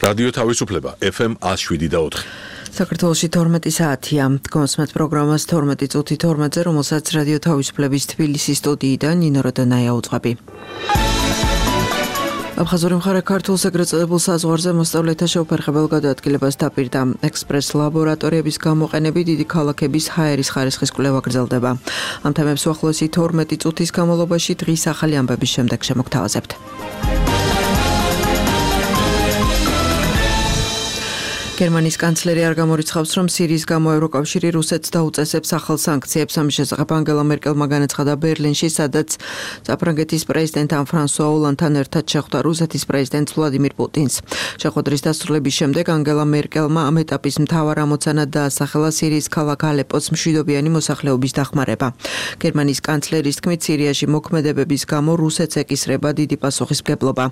რადიო თავისუფლება FM 107.4. საქართველოში 12 საათია. გონსმეთ პროგრამას 12 წუთი 12-ზე, რომელსაც რადიო თავისუფლების თბილისის სტუდიიდან ნინო როდანაია უძღვები. აფხაზური მხარე ქართულს ეგრეთ წოდებულ საზღვარზე მოსწავლეთა შეუფერხებელ გადაადგილებას დაპირდა. ექსპრეს ლაბორატორიების გამოყენებით დიდი ქალაქების ჰაერის ხარისხის კვლევა გრძელდება. ამ თემებს უახლოესი 12 წუთის განმავლობაში დღის ახალი ამბების შემდეგ შემოგთავაზებთ. გერმანიის კანცლერი არ გამორიცხავს, რომ სირიის გამო ევროკავშირი რუსეთს დაუწესებს ახალ სანქციებს. ამის შესახებ ანგელა მერკელმა განაცხადა ბერლინში, სადაც საფრანგეთის პრეზიდენტთან ფრანსუა ოლანდთან ერთად შეხვდა რუსეთის პრეზიდენტ ვლადიმირ პუტინს. შეხვედრის დასრულების შემდეგ ანგელა მერკელმა ამ ეტაპის მთავარ ამოცანად დაასახელა სირიის ქალაქ ალეპოს მშვიდობიანი მოსახლეობის დახმარება. გერმანიის კანცლერის თქმით, სირიაში მოქმედებების გამო რუსეთს ეკისრება დიდი პასუხისმგებლობა.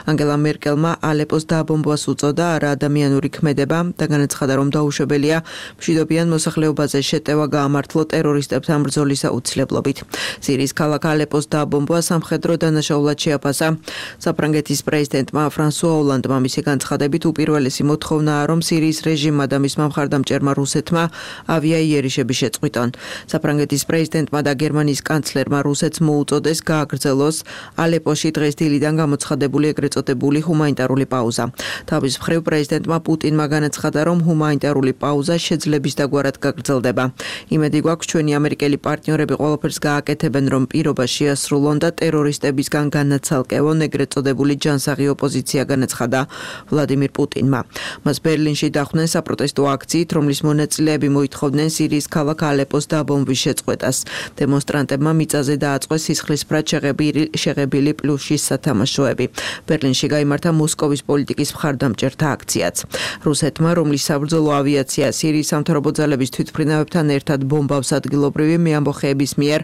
ანგელა მერკელმა ალეპოს დააბომბვას უწოდა არა ადამიანური ქმედება და განაცხადა, რომ დაუშვებელია მშვიდობიან მოსახლეობაზე შეტევა გაამართლო ტერორისტებთან ბრძოლის აუცილებლობით. სირიის ქალაქ ალეპოს დააბომბვა სამხედრო დანაშაულად შეაფასა. საფრანგეთის პრეზიდენტმა ფრანსუა ოლანდმა მისი განცხადებით უპირველესი მოთხოვნაა, რომ სირიის რეჟიმმა და მისმა მხარდამჭერმა რუსეთმა ავიაიერიშები შეწყვიტონ. საფრანგეთის პრეზიდენტმა და გერმანიის კანცლერმა რუსეთს მოუწოდეს გააგრძელოს ალეპოში დღეს დილიდან გამოცხადებული ეგრეთ წოდებული ჰუმანიტარული პაუზა. თავის მხრივ პრეზიდენტმა პუტინმა განაცხადა, რომ ჰუმანიტარული პაუზა შეძლების დაგვარად გაგრძელდება. იმედი გვაქვს, ჩვენი ამერიკელი პარტნიორები ყველაფერს გააკეთებენ, რომ პირობა შეასრულონ და ტერორისტებისგან განაცალკევონ, ეგრეთ წოდებული ჯანსაღი ოპოზიცია განაცხადა ვლადიმირ პუტინმა. მას ბერლინში დახვდნენ საპროტესტო აქციით, რომლის მონაწილეები მოითხოვდნენ სირიის ქალაქ ალეპოს დაბომბვის შეწყვეტას. დემონსტრანტებმა მიწაზე დააწყვეს სისხლისფრად შეღებილი პლუსის სათამაშოები. ბერლინში გაიმართა მოსკოვის პოლიტიკის მხარდამჭერთა აქციაც. რუსეთმა, რომლის საბრძოლო ავიაცია სირიის სამთავრობო ძალების თვითმფრინავებთან ერთად ბომბავს ადგილობრივი მეამბოხეების მიერ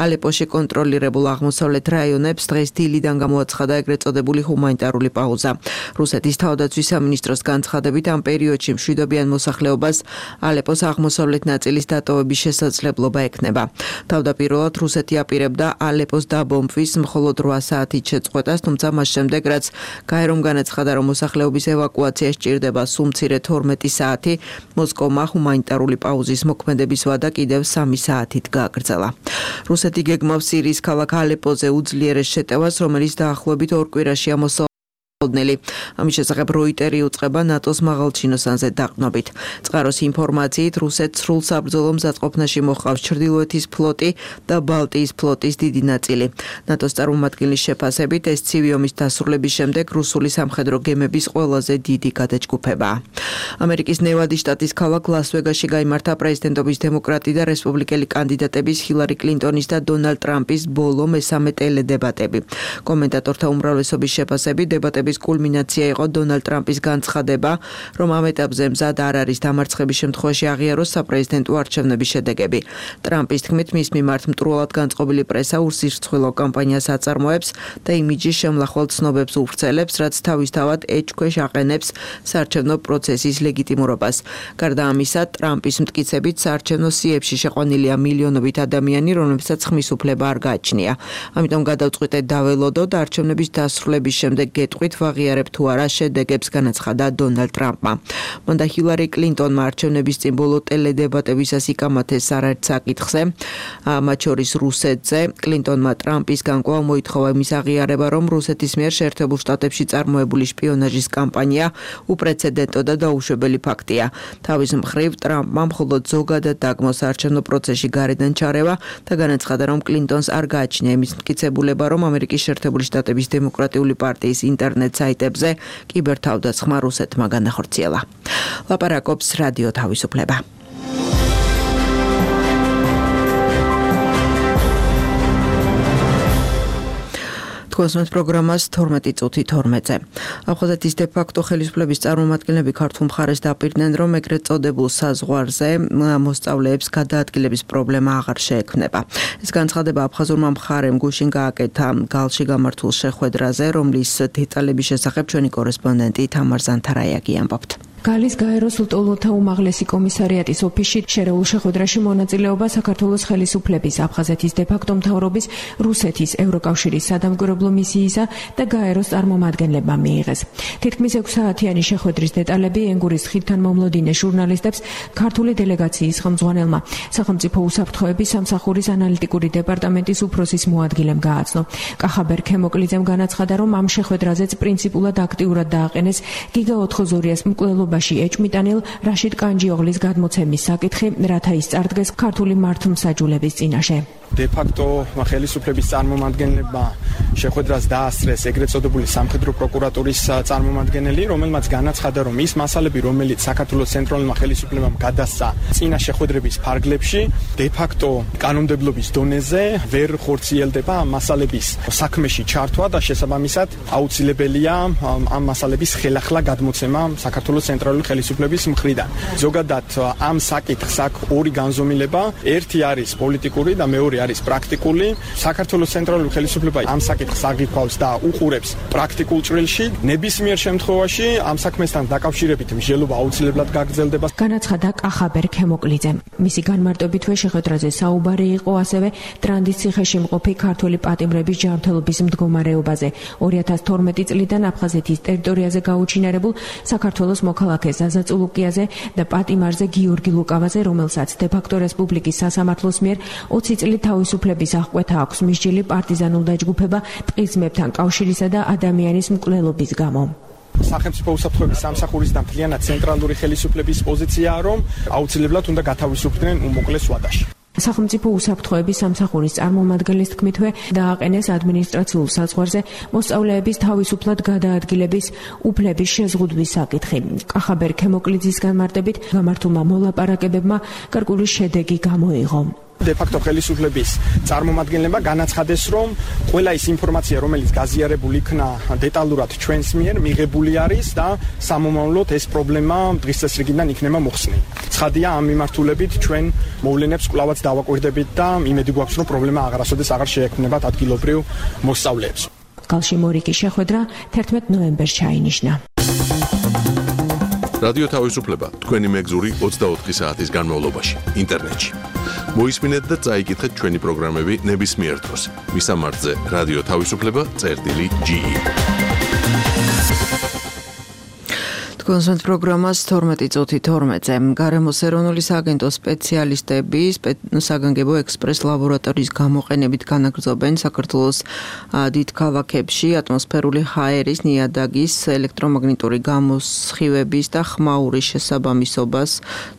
ალეპოში კონტროლირებულ აღმოსავლეთ რაიონებს, დღეს დილიდან გამოაცხადა ეგრეთ წოდებული ჰუმანიტარული პაუზა. რუსეთის თავდაცვის სამინისტროს განცხადებით, ამ პერიოდში მშვიდობიან მოსახლეობას ალეპოს აღმოსავლეთ ნაწილის დატოვების შესაძლებლობა ექნება. თავდაპირველად რუსეთი აპირებდა ალეპოს დაბომბვის მხოლოდ 8 საათით შეწყვეტას, თუმცა მას შემდეგ, რაც გაერომ განაცხადა, რომ მოსახლეობის ევაკუაცია სჭირდება სულ-მცირე 12 საათი, მოსკოვმა ჰუმანიტარული პაუზის მოქმედების ვადა კიდევ 3 საათით გააგრძელა. რუსეთი გეგმავს სირიის ქალაქ ალეპოზე უძლიერეს შეტევას, რომელიც დაახლოებით 2 კვირაშია ამის შესახებ როიტერი უწყება ნატოს მაღალჩინოსანზე დაყრდნობით. წყაროს ინფორმაციით, რუსეთს სრულ საბრძოლო მზადყოფნაში მოჰყავს ჩრდილოეთის ფლოტი და ბალტიის ფლოტის დიდი ნაწილი. ნატოს წარმომადგენლის შეფასებით, ეს ცივი ომის დასრულების შემდეგ რუსული სამხედრო გემების ყველაზე დიდი გადაჯგუფებაა. ამერიკის ნევადის შტატის ქალაქ ლას-ვეგასში გაიმართა პრეზიდენტობის დემოკრატი და რესპუბლიკელი კანდიდატების ჰილარი კლინტონის და დონალდ ტრამპის ბოლო მესამე ტელედებატები. კომენტატორთა უმრავლესობის შეფასებით, დებატების კულმინაცია იყო დონალდ ტრამპის განცხადება, რომ ამ ეტაპზე მზად არ არის დამარცხების შემთხვევაში აღიაროს საპრეზიდენტო არჩევნების შედეგები. ტრამპის თქმით, მის მიმართ მტრულად განწყობილი პრესა ურსირცხვილო კამპანიას აწარმოებს და იმიჯის შემლახვალ ცნობებს უვრცელებს, რაც თავისთავად ეჭქვეშ აყენებს საარჩევნო პროცესის ლეგიტიმურობას. გარდა ამისა, ტრამპის მტკიცებით საარჩევნო სიებში შეყვანილია მილიონობით ადამიანი, რომლებსაც ხმის უფლება არ გააჩნია. ამიტომ გადავწყვიტეთ დაველოდოთ არჩევნების დასრულების შემდეგ გეტყვით ვაღიარებ თუ არა შედეგებს, განაცხადა დონალდ ტრამპმა. მან და ჰილარი კლინტონმა არჩევნების წინ ბოლო ტელედებატებისას იკამათეს არაერთ საკითხზე, მათ შორის რუსეთზე. კლინტონმა ტრამპისგან კვლავ მოითხოვა იმის აღიარება, რომ რუსეთის მიერ შეერთებულ შტატებში წარმოებული შპიონაჟის კამპანია უპრეცედენტო და დაუშვებელი ფაქტია. თავის მხრივ ტრამპმა მხოლოდ ზოგადად დაგმოს საარჩევნო პროცესში გარედან ჩარევა და განაცხადა, რომ კლინტონს არ გააჩნია იმის მტკიცებულება, რომ ამერიკის შეერთებული შტატების დემოკრატიული პარტიის ინტერნეტ საიტებზე კიბერთავდაცმა რუსეთმა განახორციელა. ლაპარაკობს რადიო თავისუფლება. გონსმეთ პროგრამას 12 წუთი 12-ზე. აფხაზეთის დე-ფაქტო ხელისუფლების წარმომადგენლები ქართულ მხარეს დაპირდნენ, რომ ეგრეთ წოდებულ საზღვარზე მოსწავლეებს გადაადგილების პრობლემა აღარ შეექმნება. ეს განცხადება აფხაზურმა მხარემ გუშინ გააკეთა გალში გამართულ შეხვედრაზე, რომლის დეტალების შესახებ ჩვენი კორესპონდენტი თამარ ზანთარაიაგი ამბობთ. გალის გაეროს ლტოლოთა უმაღლესი კომისარიატის ოფისში შერეულ შეხვედრაში მონაწილეობა საქართველოს ხელისუფლების, აფხაზეთის დე-ფაქტო მთავრობის, რუსეთის, ევროკავშირის სადამკვირვებლო მისიისა და გაეროს წარმომადგენლებმა მიიღეს. თითქმის 6 საათიანი შეხვედრის დეტალები ენგურის ხიდთან მომლოდინე ჟურნალისტებს ქართული დელეგაციის ხელმძღვანელმა სახელმწიფო უსაფრთხოების სამსახურის ანალიტიკური დეპარტამენტის უფროსის მოადგილემ გააცნო. კახაბერ ქემოკლიძემ განაცხადა, რომ ამ შეხვედრაზეც პრინციპულად აქტიურად დააყენეს გიგა ოთხოზორიას მკვლელობაში ეჭმიტანილ რაშიდ კანჯიოღლის გადმოცემის საკითხი, რათა ის წარდგეს ქართული მართლმსაჯულების წინაშე. დე-ფაქტო ხელისუფლების წარმომადგენლებმა შეხვედრას დაასწრეს ეგრეთ წოდებული სამხედრო პროკურატურის წარმომადგენელი, რომელმაც განაცხადა, რომ ის მასალები, რომელიც საქართველოს ცენტრალურმა ხელისუფლებამ გადასცა წინა შეხვედრების ფარგლებში, დე-ფაქტო კანონმდებლობის დონეზე ვერ ხორციელდება ამ მასალების საქმეში ჩართვა და შესაბამისად აუცილებელია ამ მასალების ხელახლა გადმოცემა საქართველოს ცენტრალური ხელისუფლების მხრიდან. ზოგადად ამ საკითხს აქვს ორი განზომილება, ერთი არის პოლიტიკური და მეორე არის პრაქტიკული. საქართველოს ცენტრალური ხელისუფლება ამ საკითხს აღიქვავს და უყურებს პრაქტიკულ ჭრილში. ნებისმიერ შემთხვევაში ამ საქმესთან დაკავშირებით მსჯელობა აუცილებლად გაგრძელდება. განაცხადა კახაბერ ქემოკლიძემ. მისი განმარტებითვე შეხვედრაზე საუბარი იყო ასევე ტრანდის ციხეში მყოფი ქართველი პატიმრების ჯანმრთელობის მდგომარეობაზე. 2012 წლიდან აფხაზეთის ტერიტორიაზე გაუჩინარებულ საქართველოს მოქალაქე ზაზა წულუკიაზე და პატიმარზე გიორგი ლუკავაზე, რომელსაც დე-ფაქტო რესპუბლიკის სასამართლოს მიერ 20 წლით თავისუფლების აღკვეთა აქვს მსჯილი პარტიზანულ დაჯგუფება ტყიზმებთან კავშირისა და ადამიანის მკვლელობის გამო. სახელმწიფო უსაფრთხოების სამსახურის და მთლიანად ცენტრალური ხელისუფლების პოზიციაა, რომ აუცილებლად უნდა გათავისუფლდნენ უმოკლეს ვადაში. სახელმწიფო უსაფრთხოების სამსახურის წარმომადგენლის თქმითვე დააყენეს ადმინისტრაციულ საზღვარზე მოსწავლეების თავისუფლად გადაადგილების უფლების შეზღუდვის საკითხი. კახაბერ ქემოკლიძის განმარტებით გამართულმა მოლაპარაკებებმა გარკვეული შედეგი გამოიღო. დე-ფაქტო ხელისუფლების წარმომადგენლებმა განაცხადეს, რომ ყველა ის ინფორმაცია, რომელიც გაზიარებული იქნა დეტალურად ჩვენს მიერ მიღებული არის და სამომავლოდ ეს პრობლემა დღის წესრიგიდან იქნება მოხსნილი. ცხადია, ამ მიმართულებით ჩვენ მოვლენებს კვლავაც დავაკვირდებით და იმედი გვაქვს, რომ პრობლემა აღარასოდეს აღარ შეექმნებათ ადგილობრივ მოსწავლეებს. კალში მორიგი შეხვედრა 11 ნოემბერს ჩაინიშნა. რადიო თავისუფლება თქვენი მეგზური 24 საათის განმავლობაში ინტერნეტში. მოისმინეთ და წაიკითხეთ ჩვენი პროგრამები ნებისმიერ დროს. მისამართზე რადიო თავისუფლება.ge. კონსულტ პროგრამას 12:12-ზე გარემოს ეროვნული სააგენტოს სპეციალისტები საგანგებო ექსპრეს ლაბორატორიის გამოყენებით განაგრძობენ საქართველოს დიდ ქალაქებში ატმოსფერული ჰაერის, ნიადაგის, ელექტრომაგნიტური გამოსხივების და ხმაურის შესაბამისობას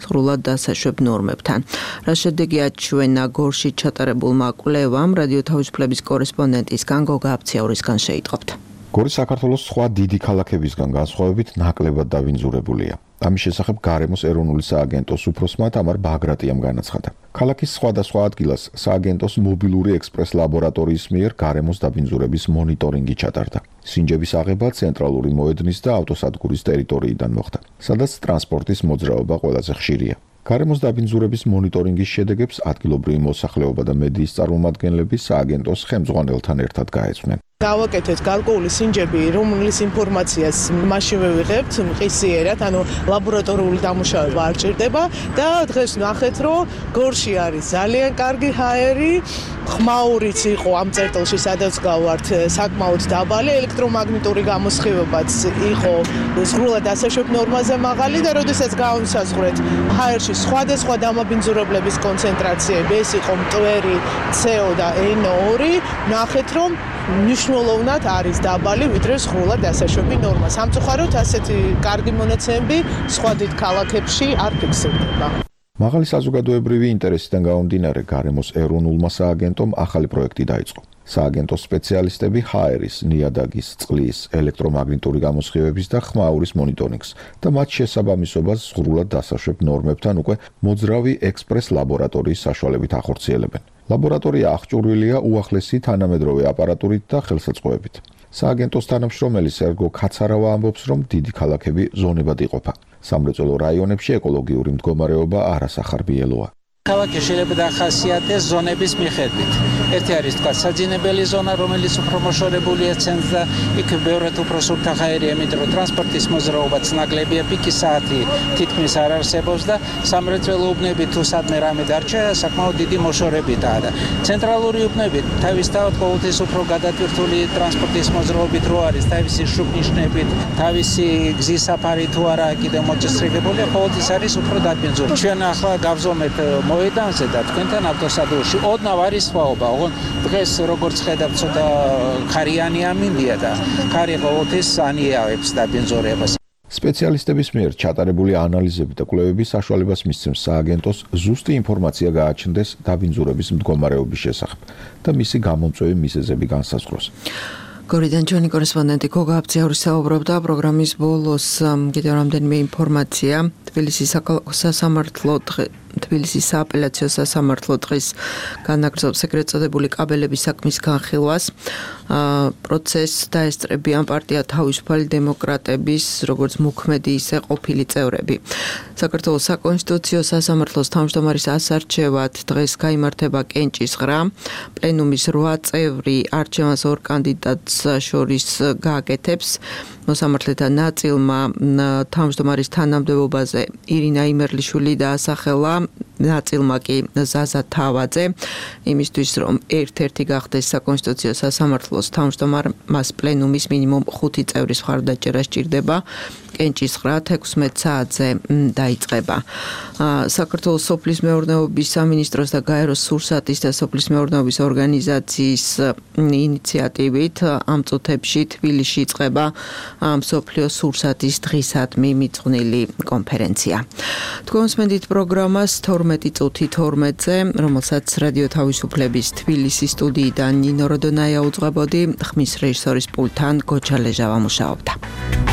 სრულად დასაშვებ ნორმებთან. რა შედეგია ჩვენ ნაგორში ჩატარებულმა კვლევამ, რადიო თავისუფლების კორესპონდენტისგან გოგა აფციაურისგან შეიტყობთ. გორი საქართველოს სხვა დიდი ქალაქებისგან განსხვავებით ნაკლებად დავინძურებულია. ამის შესახებ გარემოს ეროვნული სააგენტოს უფროსმა თამარ ბაგრატიამ განაცხადა. ქალაქის სხვადასხვა ადგილას სააგენტოს მობილური ექსპრეს ლაბორატორიის მიერ გარემოს დაბინძურების მონიტორინგი ჩატარდა. სინჯების აღება ცენტრალური მოედნის და ავტოსადგურის ტერიტორიიდან მოხდა, სადაც ტრანსპორტის მოძრაობა ყველაზე ხშირია. გარემოს დაბინძურების მონიტორინგის შედეგებს ადგილობრივი მოსახლეობა და მედიის წარმომადგენლები სააგენტოს ხელმძღვანელთან ერთად გაეცნენ. გავაკეთეთ გარკვეული სინჯები, რომლის ინფორმაციას მაშინ ვიღებთ მყისიერად, ანუ ლაბორატორიული დამუშავება არ ჭირდება და დღეს ნახეთ, რომ გორში არის ძალიან კარგი ჰაერი, ხმაურიც იყო ამ წერტილში, სადაც გავართ, საკმაოდ დაბალი, ელექტრომაგნიტური გამოსხივებაც იყო სრულად დასაშვებ ნორმაზე მაღალი და როდესაც გავსაზღვრეთ ჰაერში სხვადასხვა დამაბინძურებლების კონცენტრაციები, ეს იყო მტვერი, CO და NO2, ნახეთ, რომ მნიშვნელოვნად არის დაბალი, ვიდრე სრულად დასაშვები ნორმა. სამწუხაროდ ასეთი კარგი მონაცემები სხვა დიდ ქალაქებში არ ფიქსირდება. მაღალი საზოგადოებრივი ინტერესიდან გამომდინარე, გარემოს ეროვნულმა სააგენტომ ახალი პროექტი დაიწყო. სააგენტოს სპეციალისტები ჰაერის, ნიადაგის, წყლის, ელექტრომაგნიტური გამოსხივების და ხმაურის მონიტორინგს და მათ შესაბამისობას სრულად დასაშვებ ნორმებთან უკვე მოძრავი ექსპრეს ლაბორატორიის საშუალებით ახორციელებენ. ლაბორატორია აღჭურვილია უახლესი თანამედროვე აპარატურით და ხელსაწყოებით. სააგენტოს თანამშრომელი სერგო კაცარავა ამბობს, რომ დიდი ქალაქები ზონებად იყოფა. სამრეწველო რაიონებში ეკოლოგიური მდგომარეობა არასახარბიელოა. ქალაქი შეიძლება დახასიათდეს ზონების მიხედვით. ერთი არის თქვა საძინებელი ზონა, რომელიც უფრო მოშორებულია ცენტრს და იქ ბევრად უფრო სუფთახაერია, იმიტომ რომ ტრანსპორტის მოძრაობაც ნაკლებია, პიკის საათი თითქმის არ არსებობს და სამრეწველო უბნები თუ სადმე რამე დარჩა, საკმაოდ დიდი მოშორებითაა და ცენტრალური უბნები თავისთავად ყოველთვის უფრო გადატვირთული ტრანსპორტის მოძრაობით რო არის, თავისი შუბნიშნებით, თავისი გზის საფარი თუ არა კიდევ მოწესრიგებულია, ყოველთვის არის უფრო დაბინძური. ჩვენ ახლა გავზომეთ მოედანზე და თქვენთან ავტოსადგურში ოდნავ არის სხვაობა. დღეს როგორც ხედავთ, ცოტა ხარიანი ამინდია და ხარი ყოველთვის ანიავებს დაბინძურებას. სპეციალისტების მიერ ჩატარებული ანალიზები და კვლევები საშუალებას მისცემს სააგენტოს ზუსტი ინფორმაცია გააჩნდეს დაბინძურების მდგომარეობის შესახებ და მისი გამომწვევი მიზეზები განსაზღვროს. გორიდან ჩვენი კორესპონდენტი გოგა აბძიაური საუბრობდა პროგრამის ბოლოს კიდევ რამდენიმე ინფორმაცია თბილისის სააპელაციო სასამართლო დღის განაგრძობს ეგრეთ წოდებული კაბელების საქმის განხილვას. პროცესს დაესწრებიან პარტია თავისუფალი დემოკრატების როგორც მოქმედი ისე ყოფილი წევრები. საქართველოს საკონსტიტუციო სასამართლოს თავმჯდომარის ასარჩევად დღეს გაიმართება კენჭის ღრა. პლენუმის 8 წევრი არჩევანს 2 კანდიდატს შორის გააკეთებს. მოსამართლეთა ნაწილმა თავმჯდომარის თანამდებობაზე ირინა იმერლიშვილი დაასახელა, ნაწილმა კი ზაზა თავაძე, იმისთვის რომ ერთ-ერთი გახდეს საკონსტიტუციო სასამართლოს თავმჯდომარე, მას პლენუმის მინიმუმ 5 წევრის მხარდაჭერა სჭირდება. კენჭის ღრა 16 საათზე დაიწყება. საქართველოს სოფლის მეურნეობის სამინისტროს და გაეროს სურსათის და სოფლის მეურნეობის ორგანიზაციის ინიციატივით ამ წუთებში თბილისში იწყება მსოფლიო სურსათის დღისადმი მიძღვნილი კონფერენცია. თქვენ მსმენთ პროგრამას 12 წუთი 12-ზე, რომელსაც რადიო თავისუფლების თბილისის სტუდიიდან ნინო როდონაია უძღვებოდი, ხმის რეჟისორის პულტთან გოჩა ლეჟავა მუშაობდა.